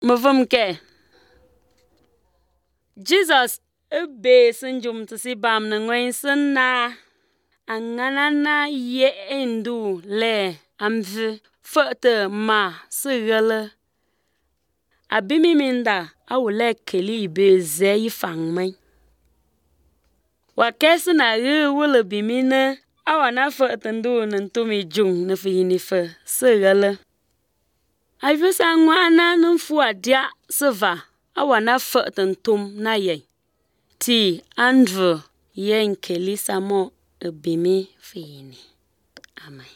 Mavum ke Jesus be sinjum tsi bam na ngwen na anganana ye endu le amvi fete ma sigale abimi minda awule keli be ze yifang mai wa kesi na wule bimine awana fete ndu ntumi jung na fini fe sigale avisa ngwana nfu adia seva awana fete ntum na ye ti andrew yen keli samo bimi fini amen.